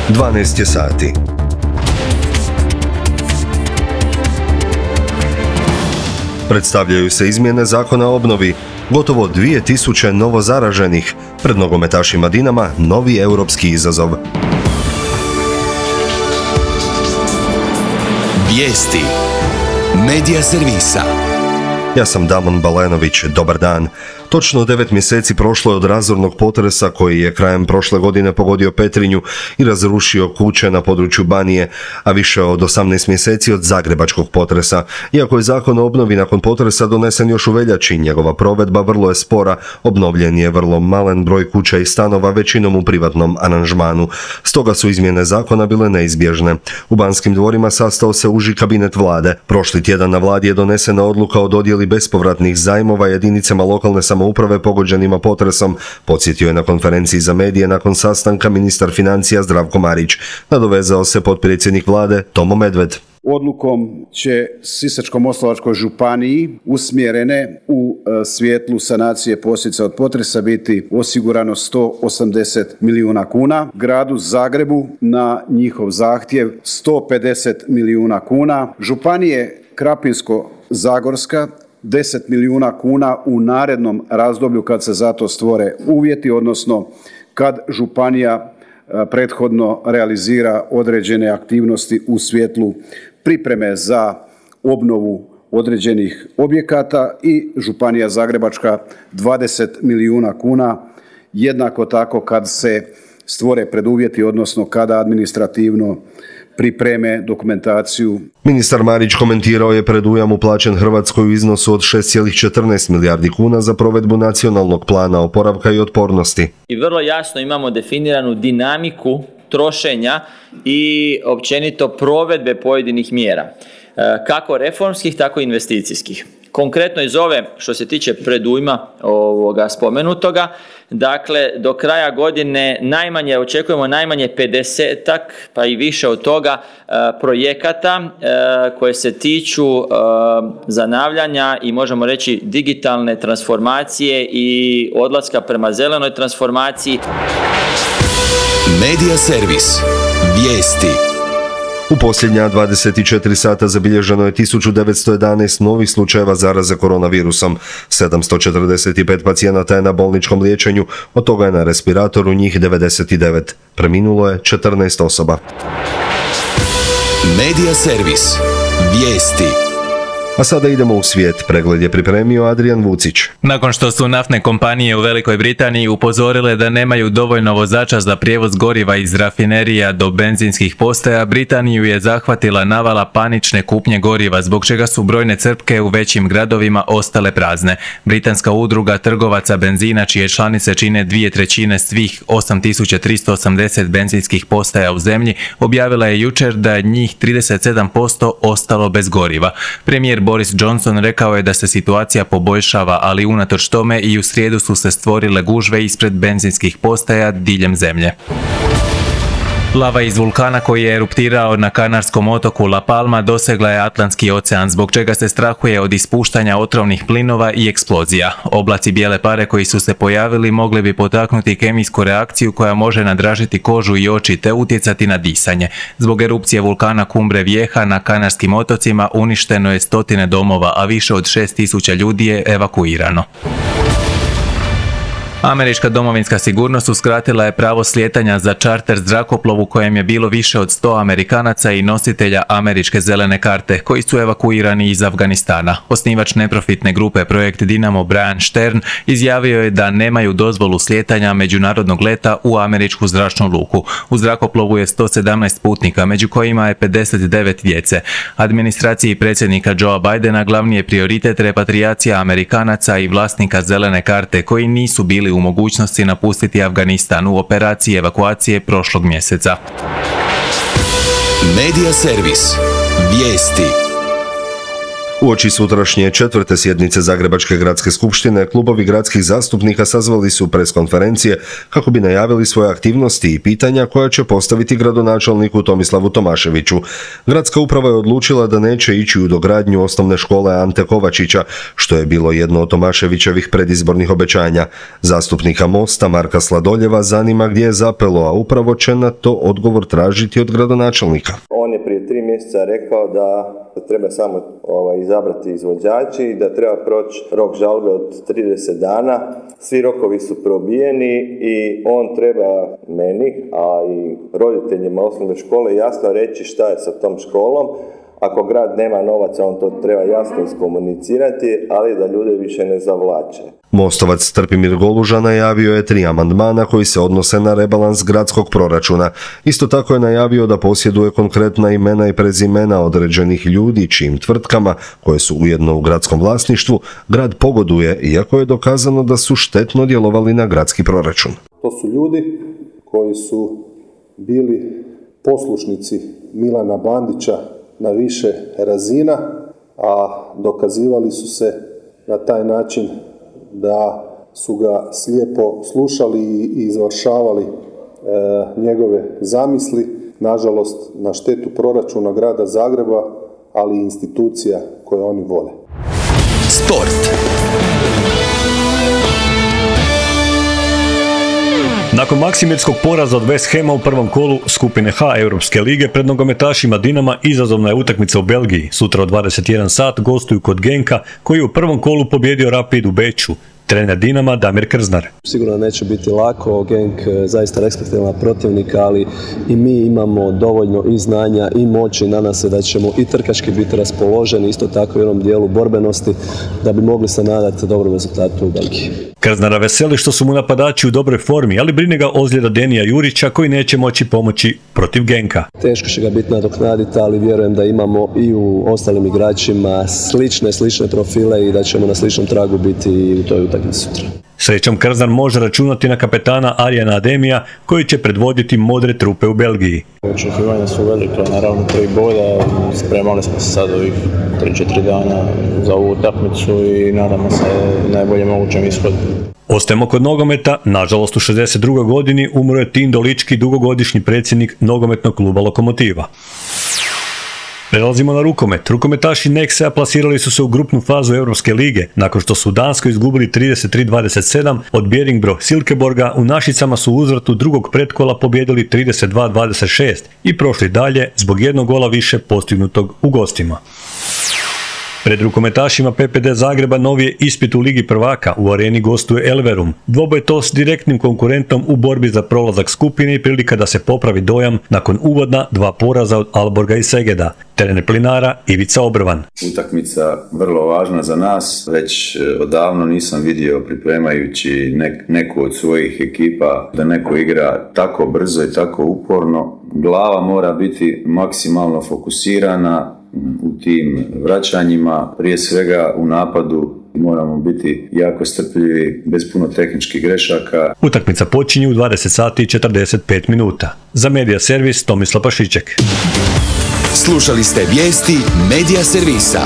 12 je sati. Predstavljaju se izmjene Zakona o obnovi, gotovo 2000 novozaraženih, pred nogometašima Dinama novi europski izazov. Vijesti Medija servisa. Ja sam Damon Balenović, dobar dan. Točno 9 mjeseci prošlo je od razornog potresa koji je krajem prošle godine pogodio Petrinju i razrušio kuće na području Banije, a više od 18 mjeseci od zagrebačkog potresa. Iako je Zakon o obnovi nakon potresa donesen još u veljači, njegova provedba vrlo je spora, obnovljen je vrlo malen broj kuća i stanova, većinom u privatnom aranžmanu. Stoga su izmjene zakona bile neizbježne. U Banskim dvorima sastao se uži kabinet vlade. Prošli tjedan na vladi je donesena odluka o dodjeli bespovratnih zajmova jedinicama lokalne samouprave pogođenima potresom, podsjetio je na konferenciji za medije nakon sastanka ministar financija Zdravko Marić. Nadovezao se potpredsjednik vlade Tomo Medved. Odlukom će Sisačko-moslavačkoj županiji usmjerene u svjetlu sanacije posljedica od potresa biti osigurano 180 milijuna kuna. Gradu Zagrebu na njihov zahtjev 150 milijuna kuna. Županije Krapinsko-zagorska 10 milijuna kuna u narednom razdoblju kad se za to stvore uvjeti, odnosno kad županija prethodno realizira određene aktivnosti u svjetlu pripreme za obnovu određenih objekata, i županija Zagrebačka 20 milijuna kuna, jednako tako kad se stvore preduvjeti, odnosno kada administrativno pripreme dokumentaciju. Ministar Marić komentirao je predujam uplaćen Hrvatskoj u iznosu od 6,14 milijardi kuna za provedbu nacionalnog plana oporavka i otpornosti. I vrlo jasno imamo definiranu dinamiku trošenja i općenito provedbe pojedinih mjera, kako reformskih, tako i investicijskih. Konkretno iz ove, što se tiče predujma spomenutoga, dakle do kraja godine očekujemo najmanje 50-ak pa i više od toga projekata koje se tiču zanavljanja i možemo reći digitalne transformacije i odlaska prema zelenoj transformaciji. Medija servis. Vijesti. U posljednja 24 sata zabilježeno je 1911 novih slučajeva zaraze koronavirusom. 745 pacijenata je na bolničkom liječenju, od toga je na respiratoru njih 99. Preminulo je 14 osoba. Medija servis. Vijesti. A sada idemo u svijet. Pregled je pripremio Adrian Vucić. Nakon što su naftne kompanije u Velikoj Britaniji upozorile da nemaju dovoljno vozača za prijevoz goriva iz rafinerija do benzinskih postaja, Britaniju je zahvatila navala panične kupnje goriva, zbog čega su brojne crpke u većim gradovima ostale prazne. Britanska udruga trgovaca benzina, čije članice čine 2/3 svih 8380 benzinskih postaja u zemlji, objavila je jučer da je njih 37% ostalo bez goriva. Premijer Boris Johnson rekao je da se situacija poboljšava, ali unatoč tome i u srijedu su se stvorile gužve ispred benzinskih postaja diljem zemlje. Lava iz vulkana koji je eruptirao na kanarskom otoku La Palma dosegla je Atlantski ocean, zbog čega se strahuje od ispuštanja otrovnih plinova i eksplozija. Oblaci bijele pare koji su se pojavili mogli bi potaknuti kemijsku reakciju koja može nadražiti kožu i oči te utjecati na disanje. Zbog erupcije vulkana Cumbre Vieja na Kanarskim otocima uništeno je 100 domova, a više od 6000 ljudi je evakuirano. Američka domovinska sigurnost uskratila je pravo slijetanja za čarter zrakoplov u kojem je bilo više od 100 Amerikanaca i nositelja američke zelene karte koji su evakuirani iz Afganistana. Osnivač neprofitne grupe Projekt Dinamo Brian Stern izjavio je da nemaju dozvolu slijetanja međunarodnog leta u američku zračnu luku. U zrakoplovu je 117 putnika, među kojima je 59 djece. Administraciji predsjednika Joea Bidena glavni je prioritet repatriacija Amerikanaca i vlasnika zelene karte koji nisu bili u mogućnosti napustiti Afganistan u operaciji evakuacije prošlog mjeseca. Medija servis. Vijesti. Uoči sutrašnje 4. sjednice Zagrebačke gradske skupštine, klubovi gradskih zastupnika sazvali su preskonferencije kako bi najavili svoje aktivnosti i pitanja koja će postaviti gradonačelniku Tomislavu Tomaševiću. Gradska uprava je odlučila da neće ići u dogradnju osnovne škole Ante Kovačića, što je bilo jedno od Tomaševićevih predizbornih obećanja. Zastupnika Mosta Marka Sladoljeva zanima gdje je zapelo, a upravo će na to odgovor tražiti od gradonačelnika. On je prije 3 mjeseca rekao da treba samo izabrati izvođači i da treba proći rok žalbe od 30 dana. Svi rokovi su probijeni i on treba meni, a i roditeljima osnovne škole jasno reći šta je sa tom školom. Ako grad nema novaca, on to treba jasno iskomunicirati, ali da ljude više ne zavlače. Mostovac Trpimir Goluža najavio je 3 amandmana koji se odnose na rebalans gradskog proračuna. Isto tako je najavio da posjeduje konkretna imena i prezimena određenih ljudi čijim tvrtkama, koje su ujedno u gradskom vlasništvu, grad pogoduje, iako je dokazano da su štetno djelovali na gradski proračun. To su ljudi koji su bili poslušnici Milana Bandića na više razina, a dokazivali su se na taj način da su ga slijepo slušali i izvršavali njegove zamisli, nažalost na štetu proračuna grada Zagreba, ali i institucija koje oni vole. Sport. Nakon maksimirskog poraza od West Hama u prvom kolu skupine H Europske lige pred nogometašima Dinama izazovna je utakmica u Belgiji. Sutra od 21 sat gostuju kod Genka koji je u prvom kolu pobijedio Rapid u Beču. Trener Dinama Damir Krznar. Sigurno neće biti lako, Genk zaista respektabilan protivnik, ali i mi imamo dovoljno i znanja i moći, nadam se da ćemo i trkački biti raspoloženi, isto tako i u onom dijelu borbenosti, da bi mogli se nadati dobrom rezultatu u Belgiji. Krznara veseli što su mu napadači u dobroj formi, ali brine ga ozljeda Denija Jurića koji neće moći pomoći protiv Genka. Teško će ga biti nadoknaditi, ali vjerujem da imamo i u ostalim igračima slične profile i da ćemo na sličnom tragu biti i u toj utakmici sutra. Srećom Krznar može računati na kapetana Arijana Ademija koji će predvoditi modre trupe u Belgiji. Očekivanja su velike, naravno 3 boda, spremali smo se sad ovih 3-4 dana za ovu utakmicu i nadamo se najbolje mogućem ishodu. Ostajemo kod nogometa, nažalost u 62. godini umro je Tindo Lički, dugogodišnji predsjednik nogometnog kluba Lokomotiva. Prelazimo na rukomet. Rukometaši Nexea plasirali su se u grupnu fazu Europske lige. Nakon što su u Danskoj izgubili 33-27 od Bjerringbro Silkeborga, u Našicama su u uzvratu drugog pretkola pobijedili 32-26 i prošli dalje zbog jednog gola više postignutog u gostima. Pred rukometašima PPD Zagreba novi je ispit u Ligi prvaka, u areni gostuje Elverum. Dvoboj to s direktnim konkurentom u borbi za prolazak skupine i prilika da se popravi dojam nakon uvodna 2 poraza od Alborga i Segeda. Trener Plinara Ivica Obrvan. Utakmica vrlo važna za nas, već odavno nisam vidio pripremajući neku od svojih ekipa da neko igra tako brzo i tako uporno. Glava mora biti maksimalno fokusirana u tim vraćanjima, prije svega u napadu moramo biti jako strpljivi, bez puno tehničkih grešaka. Utakmica počinje u 20 sati i 45 minuta. Za Medija servis Tomislav Pašiček. Slušali ste vijesti Medija servisa.